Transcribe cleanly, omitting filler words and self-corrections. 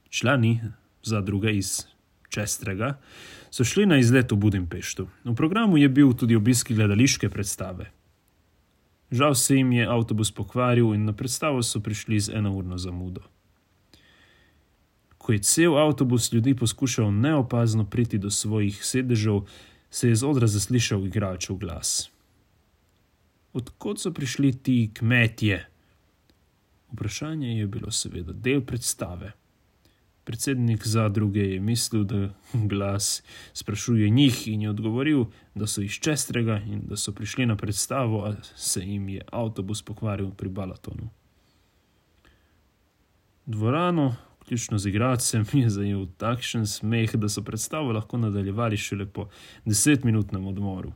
Člani zadruge iz Čestrega so šli na izlet v Budimpeštu. V programu je bil tudi obisk gledališke predstave. Žal se jim je avtobus pokvaril in na predstavo so prišli z 1-urno zamudo. Ko je cel avtobus ljudi poskušal neopazno priti do svojih sedežev, se je z odra zaslišal igralčev glas. Od kod so prišli ti kmetje? Vprašanje je bilo seveda del predstave. Predsednik zadruge je mislil, da glas sprašuje njih in je odgovoril, da so iz Čestrega in da so prišli na predstavo, a se jim je avtobus pokvaril pri Balatonu. Dvorano, vključno z igralcem, je zajel takšen smeh, da so predstavo lahko nadaljevali šele po 10-minutnem odmoru.